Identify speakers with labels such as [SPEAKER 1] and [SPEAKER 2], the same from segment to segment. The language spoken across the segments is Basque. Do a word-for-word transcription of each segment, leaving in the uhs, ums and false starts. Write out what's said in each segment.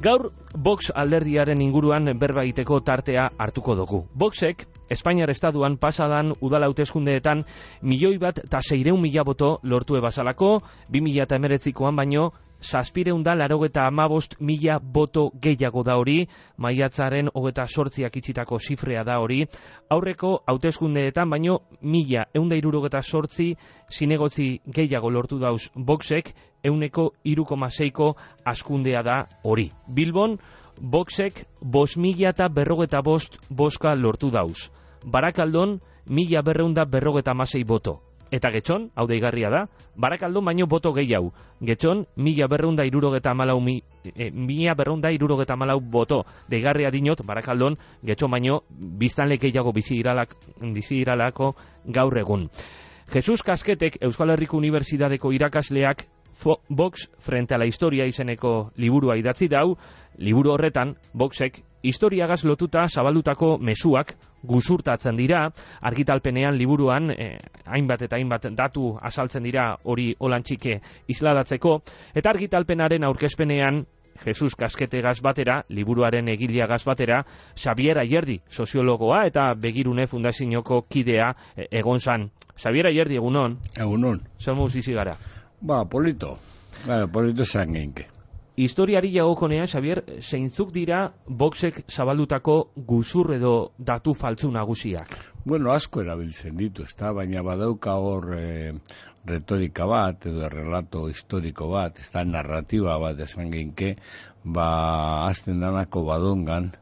[SPEAKER 1] Gaur, Vox alderdiaren inguruan berba egiteko tartea hartuko dugu. Voxek, Espainiar Estaduan pasadan udal hauteskundeetan milioi bat eta seireun mila boto lortu ebazalako, bi mila hemeretzikoan baino, zazpireun da larogeta hamabost mila boto gehiago da hori, maiatzaren hogeta sortziak itxitako zifrea da hori, aurreko hauteskundeetan baino mila eunda irurogeta sortzi zinegotzi gehiago lortu dauz Voxek, euneko iru koma seiko askundea da hori. Bilbon, Voxek bost mila eta berrogeta bost boska lortu dauz. Barakaldon, mila berreunda berrogeta amasei boto. Eta Getxon, hau deigarria da, Barakaldon baino boto gehiago. Getxon, mila berreunda irurogeta amalau, mi, eh, mila berreunda irurogeta amalau boto. Deigarria dinot, Barakaldon, Getxon baino, biztanle gehiago bizi iralak, bizi iralako gaur egun. Jesus Kasketek, Euskal Herriko Unibertsitateko irakasleak, Vox frente a la historia izeneko liburua idatzi dau. Liburu horretan, Voxek historiagaz lotuta zabaldutako mezuak guzurtatzen dira, argitalpenean liburuan eh, hainbat eta hainbat datu azaltzen dira hori olantxike isladatzeko, eta argitalpenaren aurkezpenean Jesus Kasketegaz batera, liburuaren egileagaz batera, Xabier Ayerdi, soziologoa eta Begirune Fundazioko kidea eh, egon zan. Xabier Ayerdi, egunon?
[SPEAKER 2] Egunon.
[SPEAKER 1] Zer moz bizi gara?
[SPEAKER 2] Ba, polito. Ba, polito esan genke.
[SPEAKER 1] Historiari jagokonea, Xabier, zeintzuk dira Voxek zabaldutako guzur edo datu faltzu nagusiak?
[SPEAKER 2] Bueno, asko erabiltzen ditu, ezta, baina badauka hor e, retorika bat, edo relato historiko bat, ezta, narratiba bat esan genke, ba, azten danako badongan,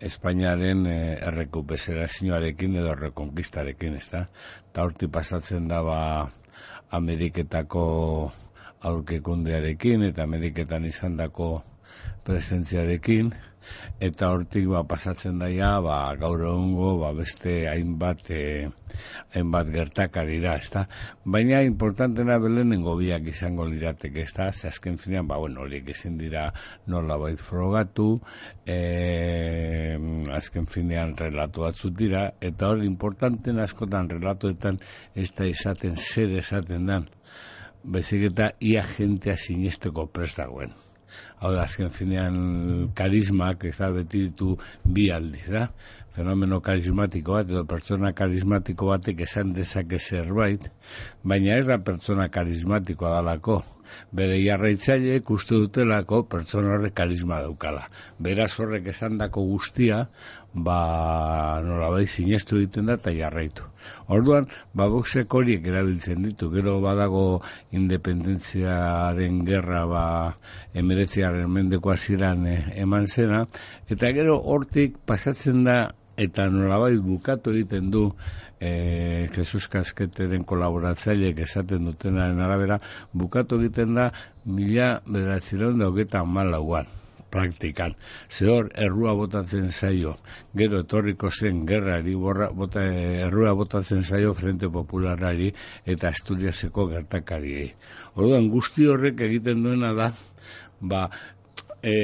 [SPEAKER 2] Espainiaren e, errekuperazioarekin edo errekonkistarekin, ezta, eta horti pasatzen da, ba, Ameriketako aurkekundearekin eta Ameriketan izandako presentziarekin, eta hortik ba, pasatzen daia ba, gaur egungo ba, beste hainbat e, hainbat gertakarira, ezta? Baina importantena belenengo biak izango lirateke, ezta? Ze azken finean, ba, bueno, horiek ezin dira nolabait frogatu, e, azken finean relatu batzut dira, eta hori importanten askotan relatoetan ez da esaten zer esaten dan, bezik eta ia jentea sinesteko prest dagoen. Hau da, azken finean karismak, ez da, beti ditu bi aldiz, da? Fenomeno karismatiko bat, edo pertsona karismatiko batek esan dezake zerbait, baina ez da pertsona karismatikoa dalako. Bere jarraitzaileek uste dutelako pertsona horrek karisma daukala. Beraz horrek esandako guztia, ba, nolabait sinestu egiten da eta jarraitu. Orduan, ba, Voxek horiek erabiltzen ditu, gero badago independentziaren gerra, ba, emeretziaren mendeko hasieran eh, eman zena, eta gero hortik pasatzen da, eta nolabait bukatu egiten du eh, Jesus Kasketeren kolaboratzaileek esaten dutenaren arabera, bukatu egiten da mila bederatziehun eta hogeita hamalauan praktikan. Zehor, errua botatzen zaio, gero etorriko zen gerrari, borra, bota, errua botatzen zaio Frente Popularari eta Asturiaseko gertakariei. Orduan, guzti horrek egiten duena da, ba, e,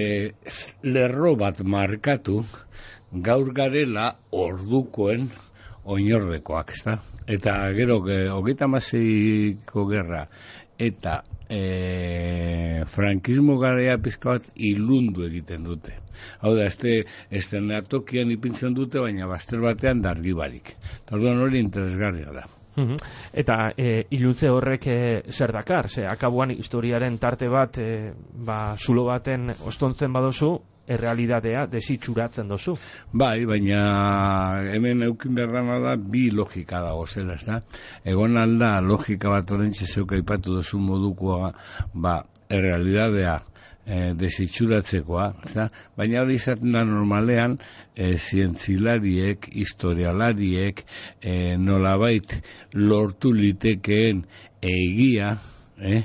[SPEAKER 2] lerro bat markatu, gaur garela ordukoen oinordekoak, ezta? Eta gero, hogeita hamaseiko gerra eta e, frankismo garaia pizka bat ilundu egiten dute. Hau da, este estenatokian ipintzen dute, baina bazter batean dargibarik. Eta orduan hori interesgarria da.
[SPEAKER 1] Uhum. Eta e, iluntze horrek e, zer dakar? Ze, akabuan historiaren tarte bat, e, ba, zulo baten ostontzen badozu, errealitatea desitxuratzen dozu.
[SPEAKER 2] Bai, baina hemen eukin beharrana da bi logika dago zela, ezta? Egon alda logika bat orentxe zeuka aipatu dozu modukoa, ba, errealitatea e, desitxuratzekoa, ezta? Baina hori izaten da normalean e, zientzilariek, historialariek, e, nolabait lortu litekeen egia, eh?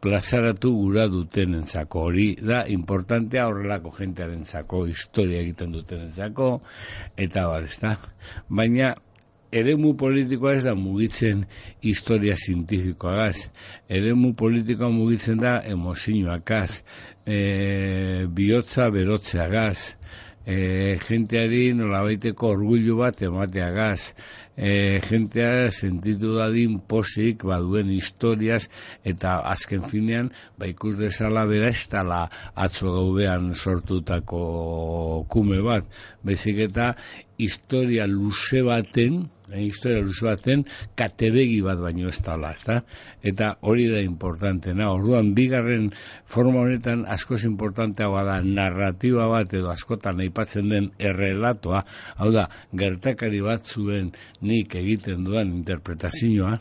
[SPEAKER 2] plazaratu gura dutenentzako. Hori da importantea horrelako jentearentzako, historia egiten dutenentzako, eta bar, ezta? Baina eremu politikoa ez da mugitzen historia zientifikoagaz, eremu politikoa mugitzen da emozioakaz, e, bihotza berotzeagaz, e, jenteari nolabaiteko orgullu bat emateagaz, e, jentea sentitu dadin posik baduen historiaz, eta azken finean ba ikus dezala bera ez dala atzo gaudean sortutako kume bat, baizik eta historia luze baten, eh, historia luze baten katebegi bat baino ez dala, ezta? Eta hori da importantena. Orduan bigarren forma honetan askoz importantea bada narratiba bat edo askotan aipatzen den errelatoa, hau da, gertakari batzuen nik egiten dudan interpretazioa,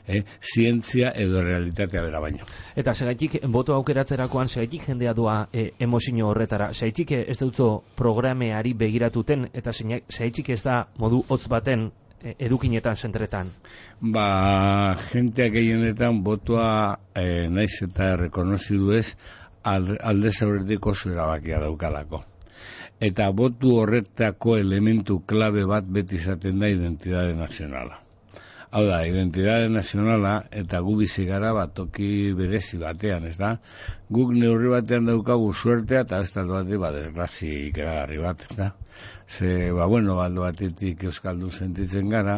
[SPEAKER 2] Eh, zientzia edo realitatea bera baino.
[SPEAKER 1] Eta segaitik, boto aukeratzerakoan, segaitik jendea doa e, emozio horretara, segaitik ez dutzo programeari begiratuten, eta segaitik ez da modu hotz baten e, edukinetan zentretan?
[SPEAKER 2] Ba, jenteak gehienetan botoa e, naiz eta rekonozidu ez alde zaurretik oso erabakia daukalako. Eta botu horretako elementu klabe bat beti izaten da identitate nazionala. Hau da, identitate nazionala eta gu bizi gara bat toki berezi batean, ez da? Guk neurri batean daukagu suertea eta ez taldo batean bat desgrazi ikeragarri bat, ez da? Ze, ba, bueno, baldo batetik euskaldun sentitzen gara,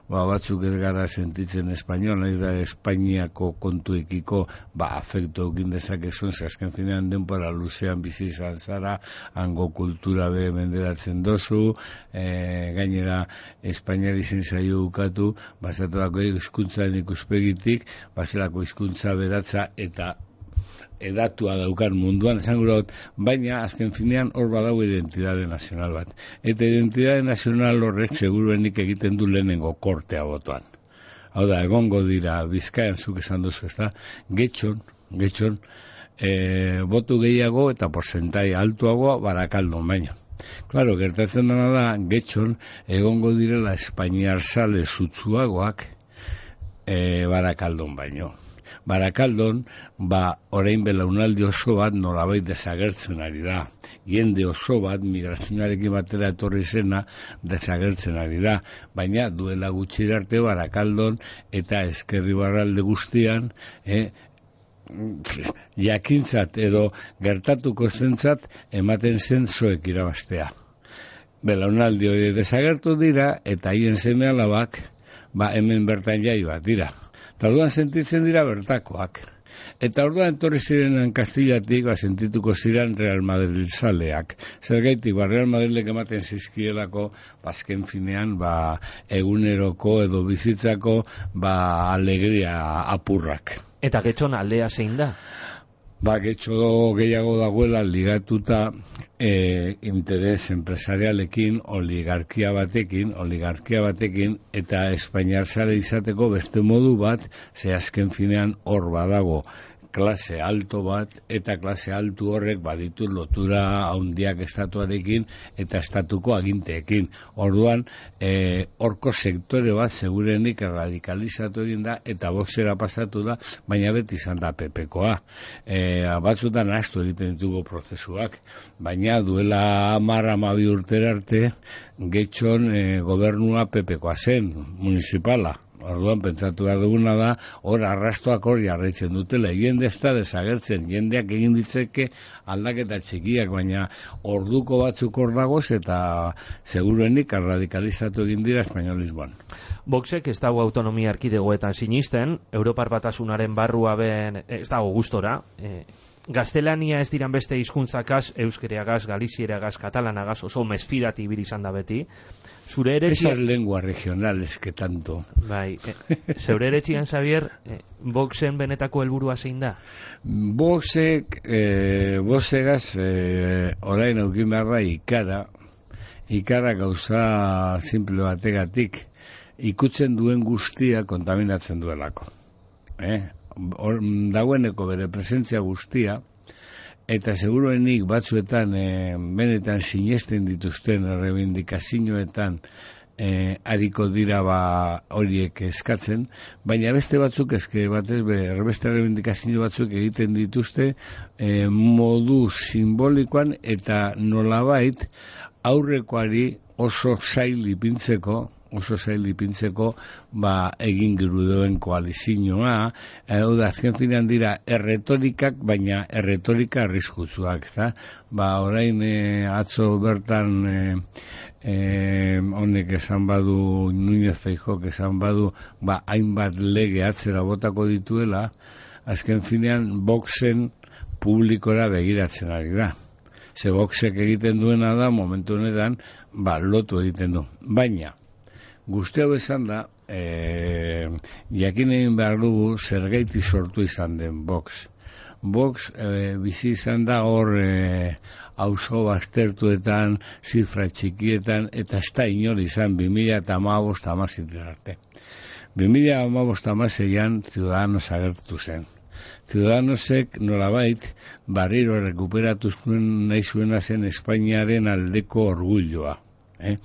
[SPEAKER 2] ba, batzuk ez gara sentitzen espainol, ez da Espainiako kontuekiko, ba, afekto egin dezakezun, ze azken finean denpora luzean bizi izan zara, hango kultura be menderatzen dozu, e, gainera Espainiari zen zaio ukatu, bazatuako hizkuntzaren ikuspegitik, bazelako hizkuntza beratza eta edatua daukan munduan, esan gura dut, baina azken finean hor badago identitate nazional bat. Eta identitate nazional horrek seguruenik egiten du lehenengo kortea botoan. Hau da, egongo dira, Bizkaian zuk esan duzu, ez da, getxon, getxon, e, botu gehiago eta porzentai altuagoa Barakaldon baina. Claro, gertatzen dena da, getxon, egongo direla espainiar sale zutzuagoak e, Barakaldon baino. Barakaldon, ba, orain belaunaldi oso bat nolabait desagertzen ari da. Jende oso bat, migrazionarekin batera etorri zena, desagertzen ari da. Baina duela gutxi arte Barakaldon eta Ezkerri Barralde guztian, eh, jakintzat edo gertatuko zentzat ematen zen zoek irabaztea. Belaunaldi hori desagertu dira eta haien seme alabak, ba, hemen bertan jai bat dira. Eta orduan sentitzen dira bertakoak. Eta orduan etorri zirenan Kastillatik, ba, sentituko ziren Real Madrid zaleak. Zergaitik, ba, Real Madridek ematen zizkielako, bazken finean, ba, eguneroko edo bizitzako, ba, alegria apurrak.
[SPEAKER 1] Eta getxon aldea zein da?
[SPEAKER 2] Ba, getxo gehiago dagoela ligatuta e, interes empresarialekin, oligarkia batekin, oligarkia batekin, eta Espainiar zale izateko beste modu bat, ze azken finean hor badago klase alto bat, eta klase altu horrek baditu lotura handiak estatuarekin eta estatuko aginteekin. Orduan, e, horko sektore bat segurenik radikalizatu egin da, eta boxera pasatu da, baina beti izan da pepekoa. E, batzutan astu egiten ditugu prozesuak, baina duela hamar hamabi urtera arte, getxon e, gobernua pepekoa zen, municipala. Orduan, pentsatu behar duguna da, hor arrastoak hor jarraitzen dutela. Jende ez da desagertzen, jendeak egin ditzeke aldaketa txikiak, baina orduko batzuk hor dagoz eta seguruenik radikalizatu egin dira espainolismoan.
[SPEAKER 1] Voxek ez dago autonomia erkidegoetan sinisten, Europar Batasunaren barrua ben ez dago gustora, e, gaztelania ez diran beste hizkuntzakaz, euskereagaz, galizieragaz, katalanagaz, oso mesfidati ibili izan da beti. Zure eretxian...
[SPEAKER 2] Esas lenguas regionales que tanto...
[SPEAKER 1] Bai, e, zeure eretxian, Xavier, e, Voxen benetako helburua zein da?
[SPEAKER 2] Voxek, e, Voxegaz, e, orain aukin behar da ikara, ikara gauza simple bategatik, ikutzen duen guztia kontaminatzen duelako. Eh? Or, dagoeneko bere presentzia guztia, eta seguruenik batzuetan e, benetan sinesten dituzten rebindikazioetan e, ariko dira ba horiek eskatzen, baina beste batzuk eske batez be, beste rebindikazio batzuk egiten dituzte e, modu simbolikoan eta nolabait aurrekoari oso zail ipintzeko, oso zail ipintzeko, ba, egin girudoen koalizioa, hau da, azken finean dira erretorikak, baina erretorika arriskutsuak, eta, ba, orain e, atzo bertan e, e, honek esan badu, Núñez Feijóok esan badu, ba, hainbat lege atzera botako dituela, azken finean, Voxen publikora begiratzen ari da. Ze Voxek egiten duena da, momentu honetan, ba, lotu egiten du. Baina, guzti hau esan da, e, jakin egin behar dugu zergaiti sortu izan den Vox. Vox e, bizi izan da hor e, auzo baztertuetan, zifra txikietan, eta ez da inor izan bi mila hamabost hamaseian arte. bi mila hamabost hamaseian Ciudadanos agertu zen. Ciudadanosek nolabait barriro rekuperatu zuen nahi zuena zen Espainiaren aldeko orgulloa. Eh?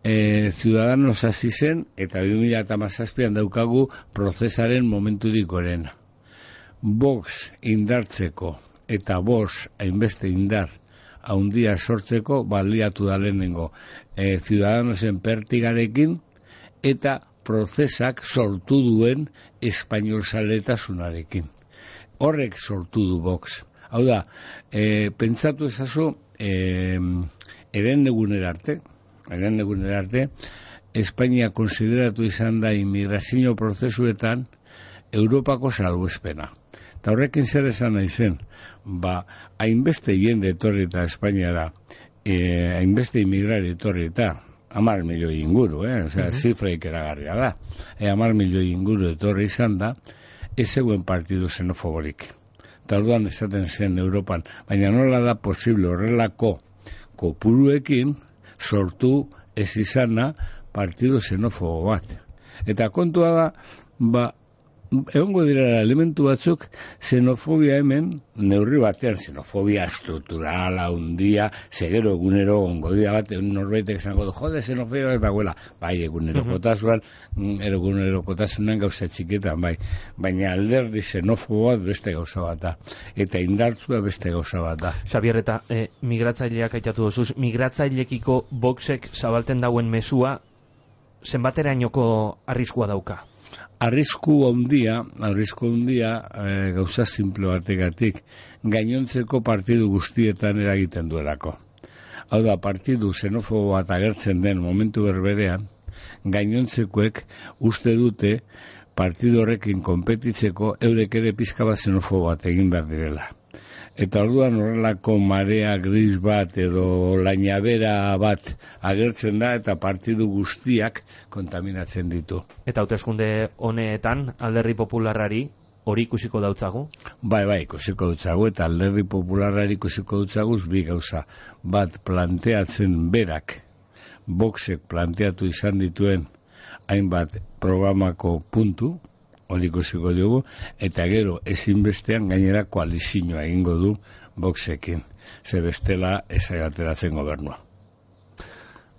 [SPEAKER 2] E, Ciudadanos hasi zen, eta bi mila hamazazpian daukagu prozesaren momenturik gorena. Vox indartzeko eta Vox hainbeste indar haundia sortzeko baliatu da lehenengo e, Ciudadanosen pertigarekin eta prozesak sortu duen espainolzaletasunarekin. Horrek sortu du Vox. Hau da, e, pentsatu ezazu, e, eren egunera arte, eren egunera arte, Espainia konsideratu izan da immigrazio prozesuetan Europako salbuespena. Eta horrekin zer esan nahi zen, ba, hainbeste jende etorri eta Espainiara, e, hainbeste immigrar etorri eta, amar milioi inguru, eh? Osea, uh-huh. Zifraik eragarria da. E, amar milioi inguru etorri izan da, ez zegoen partidu xenofoborik. Eta orduan esaten zen Europan, baina nola da posible horrelako kopuruekin sortu ez izana partidu xenofobo bat. Eta kontua da, ba, egongo dira elementu batzuk xenofobia hemen, neurri batean xenofobia estrukturala, hundia, segero egunero ongo dira bat, norbaitek esango du, jode, xenofobia bat dagoela, bai, egunerokotasunan, egunerokotasunan gauza txiketan, bai, baina alderdi xenofobo bat beste gauza bat da, eta indartzua beste gauza bat da.
[SPEAKER 1] Xabier, eta eh, migratzaileak aitatu dozuz, migratzailekiko Voxek zabalten dauen mesua, zenbaterainoko arriskua dauka?
[SPEAKER 2] Arrisku handia, arrisku handia e, gauza simple bategatik, gainontzeko partidu guztietan eragiten duelako. Hau da, partidu xenofobo bat agertzen den momentu berberean, gainontzekoek uste dute partidu horrekin konpetitzeko eurek ere pizka bat xenofobo bat egin behar direla. Eta orduan horrelako marea gris bat edo lainabera bat agertzen da eta partidu guztiak kontaminatzen ditu.
[SPEAKER 1] Eta hauteskunde honetan Alderdi Popularrari hori ikusiko dautzagu?
[SPEAKER 2] Bai, bai, ikusiko dautzagu eta Alderdi Popularrari ikusiko dautzagu bi gauza. Bat planteatzen berak, Voxek planteatu izan dituen hainbat programako puntu, hori ikusiko dugu, eta gero ezinbestean gainera koalizioa egingo du Voxekin, ze bestela ezagateratzen gobernua.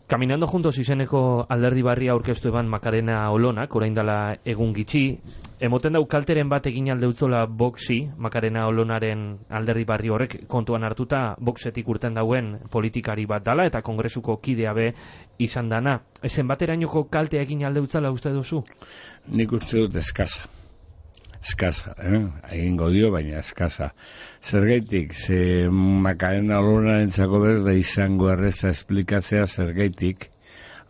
[SPEAKER 1] Caminando Juntos izeneko alderdi barria aurkeztu eban Macarena Olonak, orain dela egun gitxi, emoten dau kalteren bat egin aldeutzola Voxi, Macarena Olonaren alderdi barri horrek kontuan hartuta Voxetik urten dauen politikari bat dala eta kongresuko kidea be izan dana. Ezen baterainoko kaltea egin aldeutzala uste duzu?
[SPEAKER 2] Nik uste dut eskasa. Eskasa, eh? Egingo dio, baina eskasa. Zergaitik, ze Macarena Olonaren txako berda izango erreza esplikatzea zergaitik,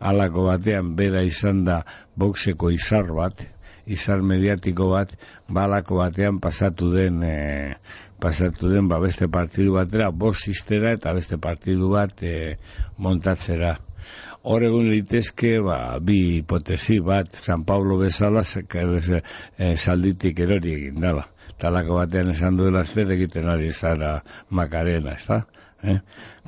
[SPEAKER 2] halako batean bera izan da Voxeko izar bat, izar mediatiko bat, balako batean pasatu den, e, pasatu den ba beste partidu batera, Voxistera eta beste partidu bat e, montatzera. Hor egun litezke, ba, bi hipotesi bat, San Pablo bezala e, salditik erori egin dala. Talako batean esan duela zer egiten ari zara Macarena, ez da? Eh?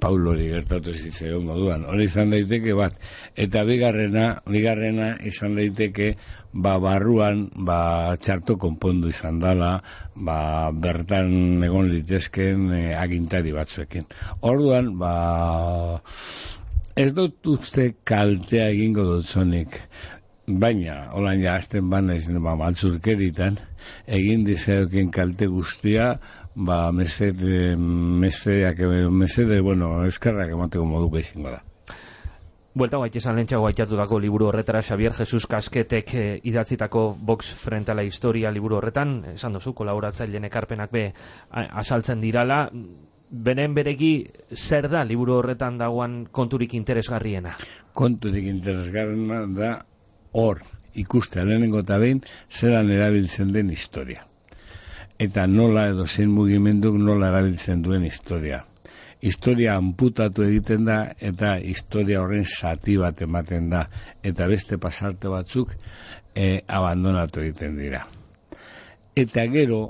[SPEAKER 2] Paulo hori gertatu zitzaion moduan. Hori izan daiteke bat. Eta bigarrena, bigarrena izan daiteke, ba, barruan, ba, txarto konpondu izan dala, ba, bertan egon litezken e, agintari batzuekin. Orduan, ba, ez dut uste kaltea egingo dutzonik, baina, holan ja, azten bana izan, ba, maltzurkeritan, egin dizaiokin kalte guztia, ba, mesede, mesedeak, mesede, bueno, eskarrak emateko moduko izango da.
[SPEAKER 1] Buelta guait esan lehentxago aitatutako liburu horretara, Xavier Jesus Kasketek eh, idatzitako Vox frente a la historia liburu horretan, esan duzu, kolaboratzaileen ekarpenak be azaltzen dirala, beren beregi zer da liburu horretan dagoan konturik interesgarriena?
[SPEAKER 2] Konturik interesgarriena da hor ikustea lehenengo eta behin zelan erabiltzen den historia. Eta nola edo zein mugimenduk nola erabiltzen duen historia. Historia amputatu egiten da eta historia horren zati bat ematen da eta beste pasarte batzuk e, abandonatu egiten dira. Eta gero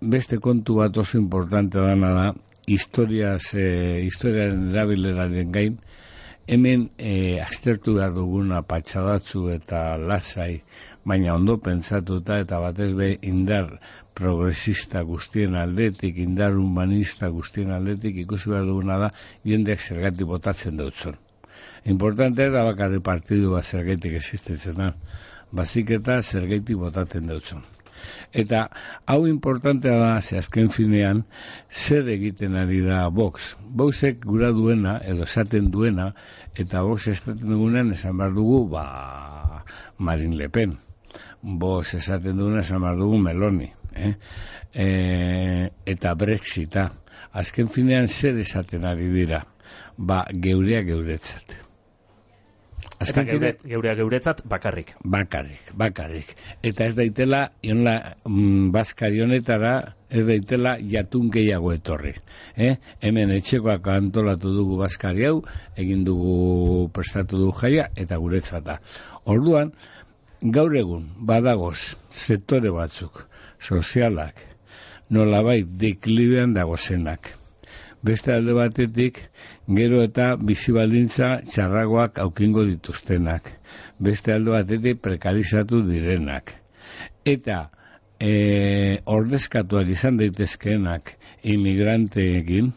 [SPEAKER 2] beste kontu bat oso importante dana da historiaz, e, historiaren erabileraren gain hemen e, aztertu behar duguna patxadatzu eta lasai, baina ondo pentsatuta eta batez be indar progresista guztien aldetik, indar humanista guztien aldetik ikusi behar duguna da jendeak zergatik botatzen dautzon. Importante da bakarri partidu bat zergatik existitzen da, bazik eta zergatik botatzen dautzon. Eta hau importantea da, ze azken finean, zer egiten ari da Vox. Voxek gura duena, edo esaten duena, eta Vox esaten dugunean esan behar dugu, ba, Marine Le Pen. Vox esaten dugunean esan behar dugu Meloni. Eh? E, eta Brexita. Azken finean zer esaten ari dira? Ba, geurea geuretzat.
[SPEAKER 1] Eta geure, geurea geuretzat bakarrik.
[SPEAKER 2] Bakarrik, bakarrik. Eta ez daitela, ionla, mm, Baskari honetara, ez daitela jatun gehiago etorri. Eh? Hemen etxekoak antolatu dugu Baskari hau, egin dugu prestatu dugu jaia, eta guretzata. Orduan, gaur egun, badagoz, sektore batzuk, sozialak, nolabait deklibean dagozenak. Beste alde batetik, gero eta bizibaldintza txarragoak aukingo dituztenak. Beste alde batetik prekarizatu direnak. Eta e, ordezkatuak izan daitezkeenak imigranteekin,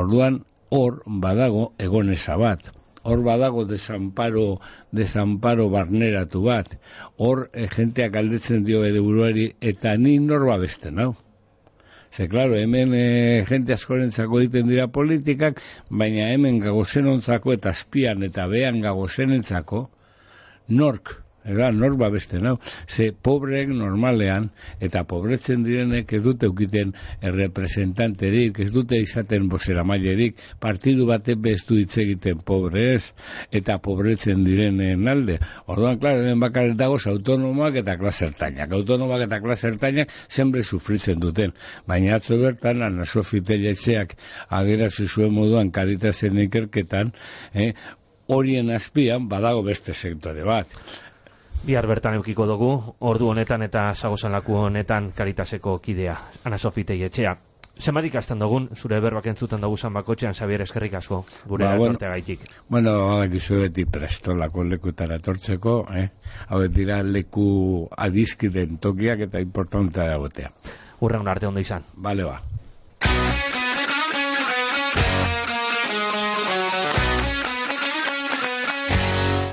[SPEAKER 2] orduan hor badago egoneza bat. Hor badago desamparo, desamparo barneratu bat. Hor e, jenteak aldetzen dio ere buruari eta ni nor babesten hau. Ze, klaro, hemen e, jente askorentzako egiten dira politikak, baina hemen gagozenontzako eta azpian eta behan gagozenentzako nork, era, nork babesten hau. Ze, pobreek normalean eta pobretzen direnek ez dute eukiten errepresentanterik, ez dute izaten bozeramailerik, partidu batek bez du hitz egiten pobrez eta pobretzen direnen alde. Orduan, klaro, hemen bakarrik dagoz autonomoak eta klasertainak. Autonomoak eta klasertainak zenbre sufritzen duten. Baina atzo bertan, Ana Sofi Telletxeak adierazten zuen moduan Karitasen ikerketan, eh, horien azpian badago beste sektore bat.
[SPEAKER 1] Bihar bertan eukiko dugu, ordu honetan eta Sagozanlaku honetan Karitaseko kidea, Ana Sofi Telletxea. Zenbat ikasten dugun, zure berbak entzuten dugu zan bakotxean, Xabier, eskerrik asko, gure ba, etortea gaitik.
[SPEAKER 2] Bueno, gizu beti prestolako lekutara etortzeko, eh? Hau dira leku adizkiden tokiak eta importantea dagotea.
[SPEAKER 1] Urreun arte ondo izan.
[SPEAKER 2] Bale ba.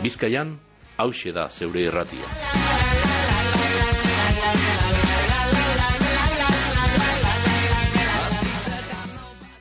[SPEAKER 3] Bizkaian, hauxe da zeure irratia.